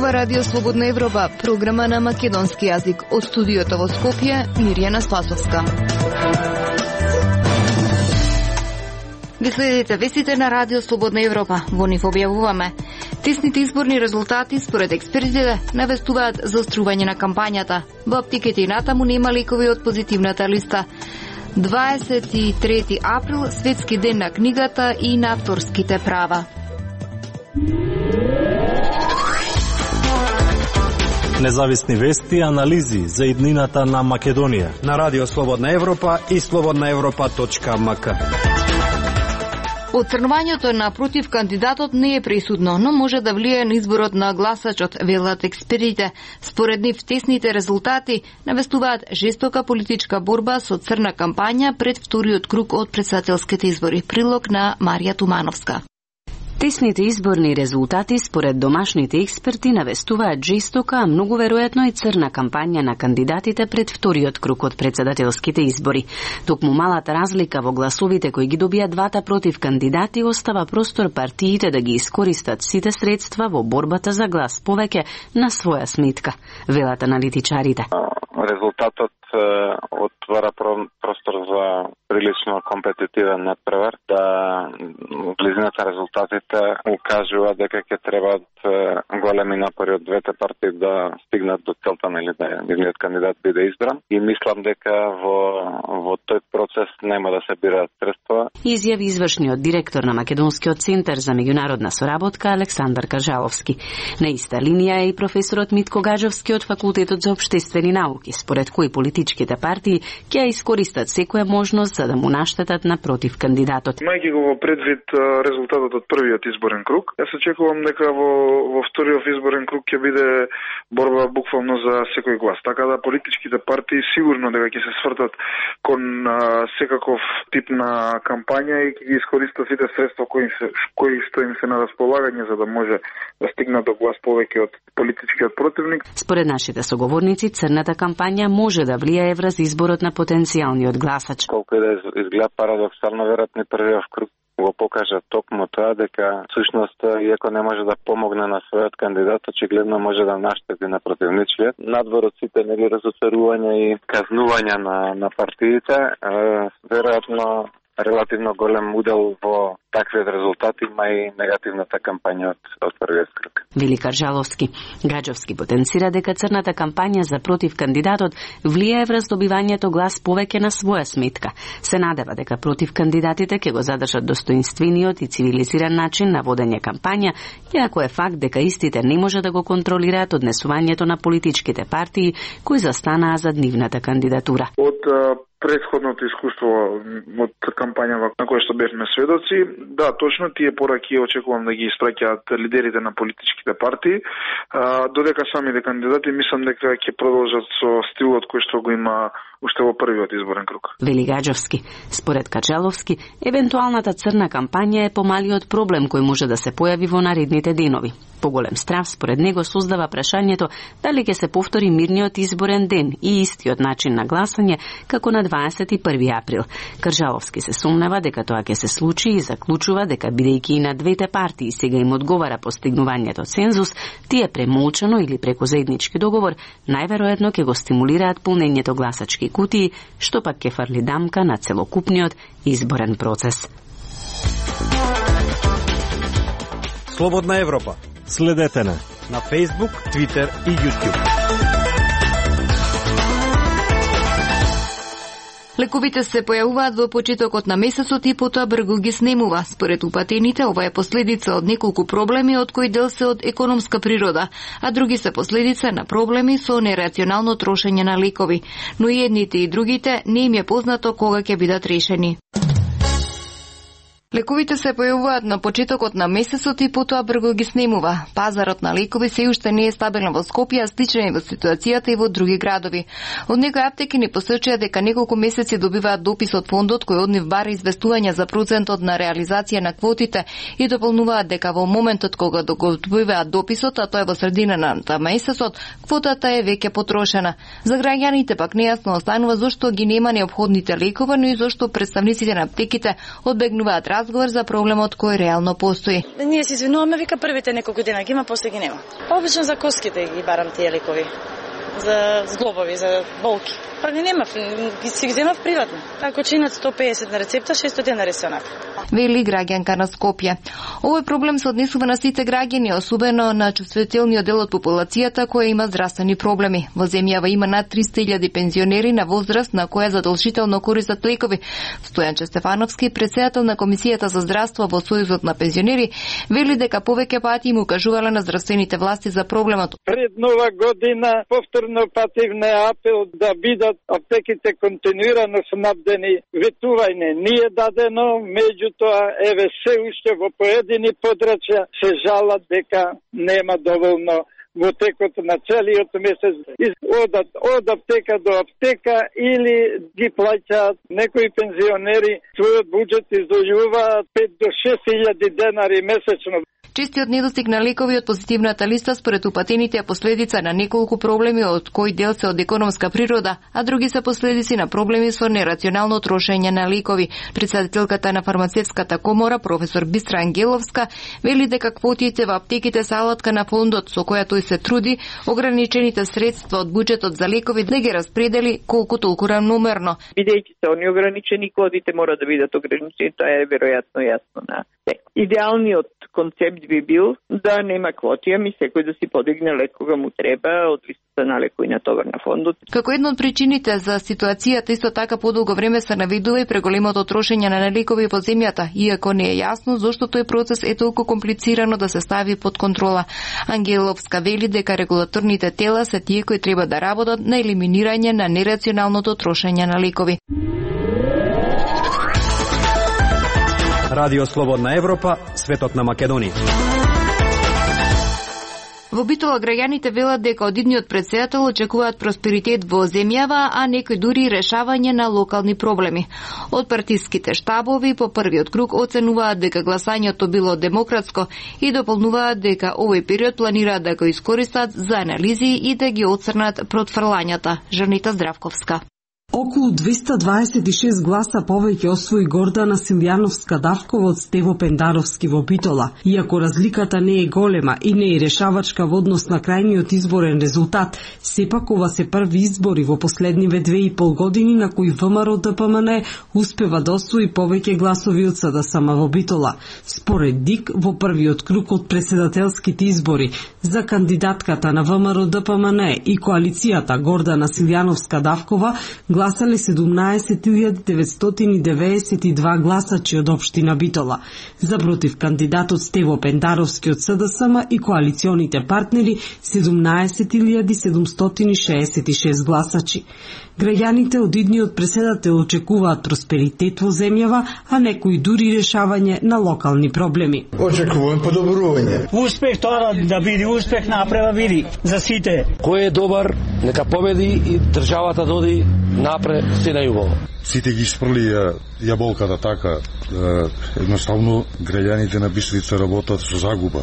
ова Радио Слободна Европа, програма на македонски јазик. Од студиото во Скопје, Мирјана Спасовска. Ви следите вестите на Радио Слободна Европа. Во нив објавуваме: тесните изборни резултати според експертите навестуваат заострување на кампањата. Во аптеките и натаму нема лекови од позитивната листа. 23 април, светски ден на книгата и на авторските права. Независни вести и анализи за иднината на Македонија на Радио Слободна Европа и slobodnaevropa.mk. Оцрнувањето на против кандидатот не е пресудно, но може да влијае на изборот на гласачот, велат експертите. Според нив, тесните резултати навестуваат жестока политичка борба со црна кампања пред вториот круг од претседателските избори. Прилог на Марија Тумановска. Тесните изборни резултати според домашните експерти навестуваат жестока, а многу веројатно и црна кампања на кандидатите пред вториот круг од претседателските избори. Токму малата разлика во гласовите кои ги добија двата против кандидати остава простор партиите да ги искористат сите средства во борбата за глас повеќе на своја сметка, велат аналитичарите. Резултатот отвара простор за прилично компетитивен надпревар, да близината резултатите укажува дека ќе требаат големи напори од двете партии да стигнат до целта, или да нивниот кандидат биде избран, и мислам дека во тој процес нема да се бираат средства. Изјави извршниот директор на Македонскиот центар за меѓународна соработка Александар Кажаловски. На иста линија е и професорот Митко Гаджовски од Факултетот за општествени науки, според кои политичките партии ќе искористат секоја можност за да му наштетат на против кандидатот. Мајќи го во предвид резултатот од првиот изборен круг, јас очекувам дека во вториот изборен круг ќе биде борба буквално за секој глас. Така да политичките партии сигурно дека ќе се свртат кон секаков тип на кампања и ќе ги искористат сите средства кои што им се на располагање за да може да стигнат до глас повеќе од политичкиот противник. Според нашите соговорници, црната кампања може да влијае врз изборот на потенцијалниот гласач. Колку и да изгледа парадоксално, веројатно првиот круг го покажа токму тоа дека всушност иако не може да помогне на својот кандидат, очигледно може да наштети на противничкиот. Надвор од сите разочарувања и казнувања на партиите, веројатно релативно голем удел во таквиот резултати има и негативната кампања од првиот круг. Вели Каржаловски. Гаджовски потенцира дека црната кампања за против кандидатот влијае врз добивањето глас повеќе на своја сметка. Се надева дека против кандидатите ќе го задржат достоинствениот и цивилизиран начин на водење кампања, иако е факт дека истите не може да го контролираат однесувањето на политичките партии кои застанаа зад нивната кандидатура. Од предходното искуство од кампањава на која што бевме сведоци, да, точно тие пораки очекувам да ги испраќаат лидерите на политичките партии, додека самите кандидати мислам дека ќе продолжат со стилот кој што го има уште во првиот изборен круг. Вели Гаджовски. Според Качаловски, евентуалната црна кампања е помалиот проблем кој може да се појави во наредните денови. Поголем страв според него создава прашањето дали ќе се повтори мирниот изборен ден и истиот начин на гласање како на 21 април. Каржаловски се сумнева дека тоа ќе се случи и заклучува дека бидејќи и на двете партии сега им одговара постигнувањето цензус, тие премолчано или преку заеднички договор најверојатно ќе го стимулираат полнењето гласачки кутии, што пак ќе фрли дамка на целокупниот изборен процес. Слободна Европа. Следете на Facebook, Twitter и YouTube. Лековите се појавуваат во почетокот на месецот и потоа брзо ги снемува. Според упатените, ова е последица од неколку проблеми од кои дел се од економска природа, а други се последица на проблеми со нерационално трошење на лекови. Но и едните и другите не им е познато кога ќе бидат решени. Лековите се појавуваат на почетокот на месецот и потоа брзо ги снемува. Пазарот на лекови се уште не е стабилен во Скопје, а сличен е во ситуацијата и во други градови. Од некои аптеки ни посочија дека неколку месеци добиваат допис од фондот кој од нив бара известување за процентот на реализација на квотите и дополнуваат дека во моментот кога го добиваат дописот, а тоа е во средина на месецот, квотата е веќе потрошена. За граѓаните пак нејасно останува зошто ги нема неопходните лекови, но и зошто представниците на аптеките одбегнуваат разговор за проблемот кој реално постои. Ние се извинуваме, вика првите неколку дена ги има, после ги нема. Обично за коските ги барам тие лекови. За зглобови, за болки. Па не нема, си ги земав приватно. Ако чинат 150 на рецепта, 600 денари се онака. Вели граѓанка на Скопје. Овој проблем се однесува на сите граѓани, особено на чувствителниот дел од популацијата која има здравствени проблеми. Во земјава има над 300.000 пензионери на возраст на која задолжително користат лекови. Стојанче Стефановски, председател на Комисијата за здравство во Сојузот на пензионери, вели дека повеќе пати им укажувале на здравствените власти за проблемот. Пред нова година повторно пативне апел да бидат аптеките континуирано снабдени. Ветување не е дадено, меѓутоа еве се уште во поедини подрачја се жалат дека нема доволно во текот на целиот месец. Одат од аптека до аптека или ги плаќаат некои пензионери, својот буџет издвојуваат 5 до 6.000 денари месечно. Честиот недостиг на лекови од позитивната листа според упатените е последица на неколку проблеми, од кои дел се од економска природа, а други се последици на проблеми со нерационално трошење на лекови. Председателката на фармацевската комора, професор Бистра Ангеловска, вели дека квотите во аптеките се алатка на фондот со која тој се труди ограничените средства од буџетот за лекови да ги распредели колку толку равномерно. Бидејќи се они ограничени, квотите мора да бидат ограничени, тоа е веројатно јасно на се. Идеалниот концепт би бил да нема квоти, ами секој да си подигне лек кога му треба од листата на лекови на товар на фондот. Како една од причините за ситуацијата исто така подолго време се навидува и преголемото трошење на лекови во земјата, иако не е јасно зошто тој процес е толку комплицирано да се стави под контрола. Ангеловска вели дека регулаторните тела се тие кои треба да работат на елиминирање на нерационалното трошење на лекови. Радио Слободна Европа, светот на Македонија. Во Битола граѓаните велат дека од идниот председател очекуваат просперитет во земјава, а некои дури решавање на локални проблеми. Од партиските штабови по првиот круг оценуваат дека гласањето било демократско и дополнуваат дека овој период планираат да го искористат за анализи и да ги оцрнат протфрлањата. Жанита Здравковска. Околу 226 гласа повеќе освои Гордана Силјановска-Давкова од Стево Пендаровски во Битола. Иако разликата не е голема и не е решавачка во однос на крајниот изборен резултат, сепак ова се први избори во последниве 2,5 години на кои ВМРО-ДПМН успева да освои повеќе гласови од СДСМ во Битола. Според ДИК, во првиот круг од председателските избори за кандидатката на ВМРО-ДПМН и коалицијата Гордана Силјановска-Давкова гласале 17.992 гласачи од општина Битола. За против кандидатот Стево Пендаровски од СДСМ и коалиционите партнери 17.766 гласачи. Граѓаните од идниот преседател очекуваат просперитет во земјава, а некои дури решавање на локални проблеми. Очекувам подобрување. Успех тоа да биде успех направа види за сите. Кој е добар, нека победи и државата доди напред се најубаво. Сите ги спрли јаболката така, едноставно граѓаните на Бистрица работат со загуба.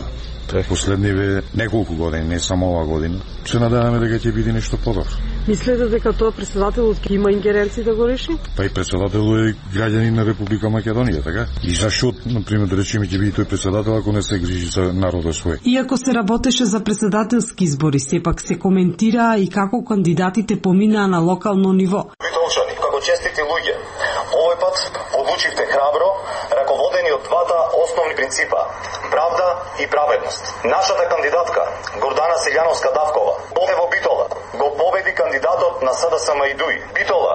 Последниве неколку години, не само ова година. Се надеваме дека ќе биде нешто подобро. Мислите дека тоа председателот ќе има ингеренции да го реши? Па и председателот е граѓанин на Република Македонија, така? И зашто, например, да речеме ќе биде тој председател ако не се грижи за народот свој? Иако се работеше за председателски избори, сепак се коментира и како кандидатите поминаа на локално ниво. Битолчани, како честити луѓе, овој пат одлучивте храбро, раководени од двата основни принципа – правда и праведност. Нашата кандидатка, Гордана Силјановска-Давкова, во Битола, го победи кандидатот на СДСМ и ДУИ. Битола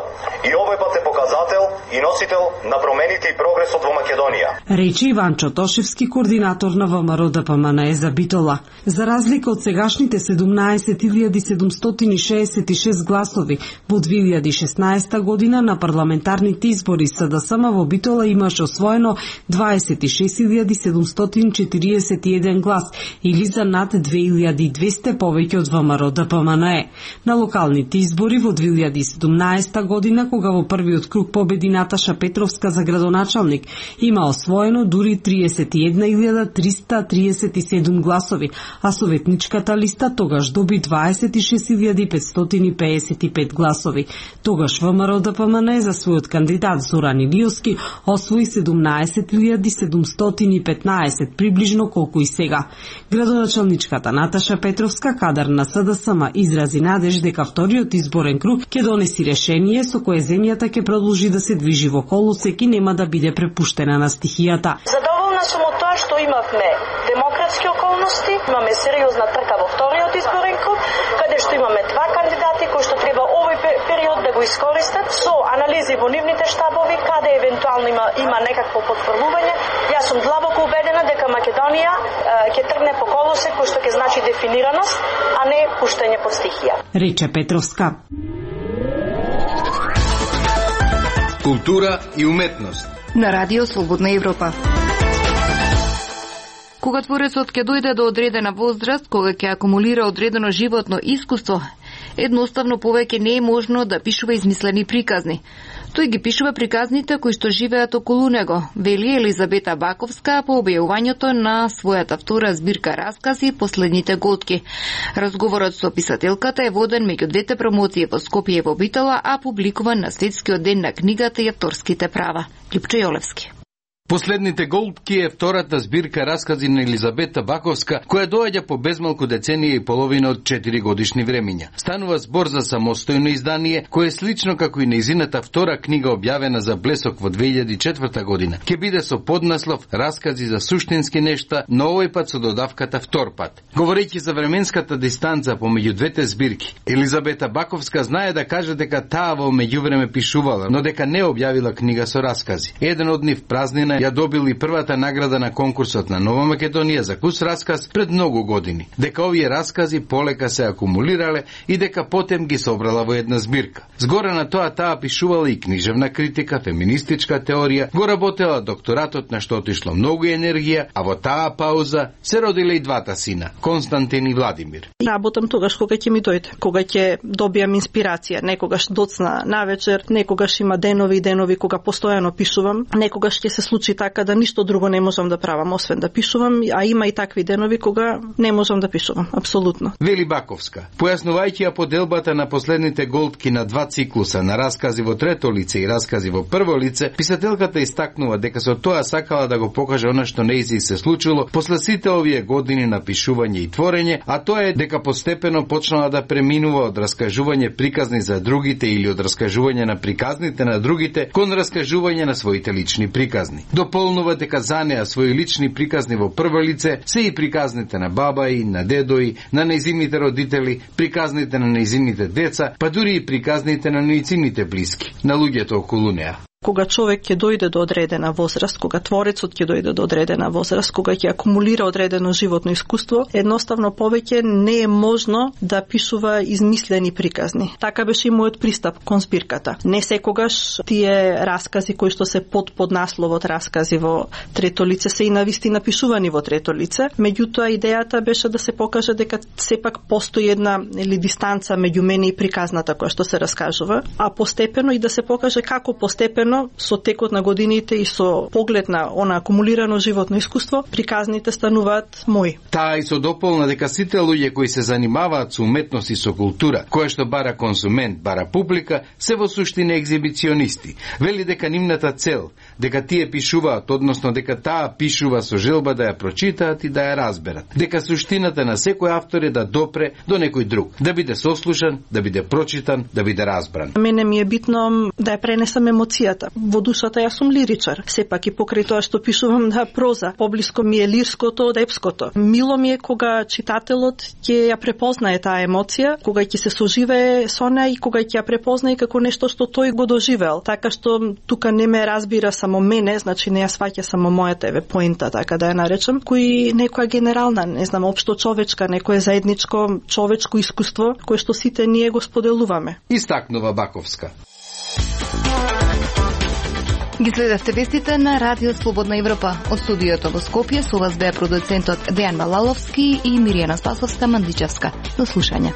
и овој пат е показател и носител на промените и прогресот во Македонија. Рече Иван Чотошевски, координатор на ВМРО-ДПМН за Битола. За разлика од сегашните 17.766 гласови во 2016 година на парламентарните избори СДСМ во Битола имаше освоено 26.741 глас или за над 2200 повеќе од ВМРО-ДПМН. На локалните избори во 2017 година, кога во првиот круг победи Наташа Петровска за градоначалник, има освоено дури 31.337 гласови, а советничката листа тогаш доби 26.555 гласови. Тогаш ВМРО-ДПМН ДПМН за својот кандидат Зоран Илиевски освои 17.715, приближно колку и сега. Градоначалничката Наташа Петровска, кадар на СДСМ, изрази надеж дека вториот изборен круг ќе донеси решение со кое земјата ќе продолжи да се движи во колосек и нема да биде препуштена на стихијата. Задоволна сум од тоа што имавме демократски околности, имаме сериозна трка во вториот изборен круг, каде што имаме два кандидати кои што треба овој период да го искористат со анализи во нивните штабови, каде евентуално има некакво потврдување. Јас сум длабоко убедена дека Македонија ќе тргне по колосек кој што ќе значи дефинираност, а не пуштање под стихија. Рече Петровска. Култура и уметност на Радио Слободна Европа. Кога творецот ќе дојде до одредена возраст, кога ќе акумулира одредено животно искуство, едноставно повеќе не е можно да пишува измислени приказни. Тој ги пишува приказните кои што живеат околу него, вели Елизабета Баковска по објавувањето на својата втора збирка раскази Последните голтки. Разговорот со писателката е воден меѓу двете промоции во Скопје и во Битола, а публикуван на Светскиот ден на книгата и авторските права. Липчо Јолевски. Последните голтки е втората збирка раскази на Елизабета Баковска, која доаѓа по безмалку деценија и половина од 4 годишни времиња. Станува збор за самостојно издание, кое е слично како и нејзината втора книга објавена за Блесок во 2004 година. Ке биде со поднаслов Раскази за суштински нешта, но овој пат со додавката втор пат. Говорејќи за временската дистанца помеѓу двете збирки, Елизабета Баковска знае да каже дека таа во меѓувреме пишувала, но дека не објавила книга со раскази. Еден од нив, Празнина, ја добил и првата награда на конкурсот на Нова Македонија за кус расказ пред многу години. Дека овие раскази полека се акумулирале и дека потем ги собрала во една збирка. Згоре на тоа таа пишувала и книжевна критика, феминистичка теорија, го работела докторатот на што отишло многу енергија, а во таа пауза се родиле и двата сина, Константин и Владимир. Работам тогаш кога ќе ми дојде, кога ќе добијам инспирација, некогаш доцна навечер, некогаш има денови и денови кога постојано пишувам, некогаш ќе се случи така да ништо друго не можам да правам освен да пишувам, а има и такви денови кога не можам да пишувам, апсолутно. Вели Баковска, појаснувајќи ја поделбата на Последните голтки на два циклуса на раскази во трето лице и раскази во прво лице, писателката истакнува дека со тоа сакала да го покаже она што нејзи се случило после сите овие години на пишување и творење, а тоа е дека постепено почнала да преминува од раскажување приказни за другите или од раскажување на приказните на другите кон раскажување на своите лични приказни. Дополнува дека за неа своји лични приказни во прво лице се и приказните на баба и на дедо и на нејзините родители, приказните на нејзините деца, па дури и приказните на нејзините блиски, на луѓето околу неа. Кога човек ќе дојде до одредена возраст, кога творецот ќе дојде до одредена возраст, кога ќе акумулира одредено животно искуство, едноставно повеќе не е можно да пишува измислени приказни. Така беше и мојот пристап кон збирката. Не секогаш тие раскази кои што се под поднасловот раскази во трето лице се и навистина пишувани во трето лице, меѓутоа идејата беше да се покаже дека сепак постои една дистанца меѓу мене и приказната која што се раскажува, а постепено и да се покаже како постепено со текот на годините и со поглед на она акумулирано животно искуство, приказните стануваат мои. Таа и со дополна дека сите луѓе кои се занимаваат со уметност и со култура, која што бара консумент, бара публика, се во суштина екзибиционисти. Вели дека нивната цел, дека тие пишуваат, односно дека таа пишува со желба да ја прочитаат и да ја разберат. Дека суштината на секој автор е да допре до некој друг, да биде сослушан, да биде прочитан, да биде разбран. Мене ми е битно да ја пренесам емоцијата. Во душата јас сум лиричар. Сепак и покрај тоа што пишувам на проза, поблиско ми е лирското од епското. Мило ми е кога читателот ќе ја препознае таа емоција, кога ќе се соживее со неа и кога ќе ја препознае како нешто што тој го доживеал. Така што тука не ме разбира само мене, значи не ја сваќа само мојата поента, така да ја наречам, кој некоја генерална, не знам, општо човечка, некое заедничко човечко искуство кое што сите ние го споделуваме. Истакнува Баковска. Ги следевте вестите на Радио Слободна Европа. Од студиото во Скопје со вас беа продуцентот Дејан Малаловски и Миријана Спасовска Мандичевска. До слушање.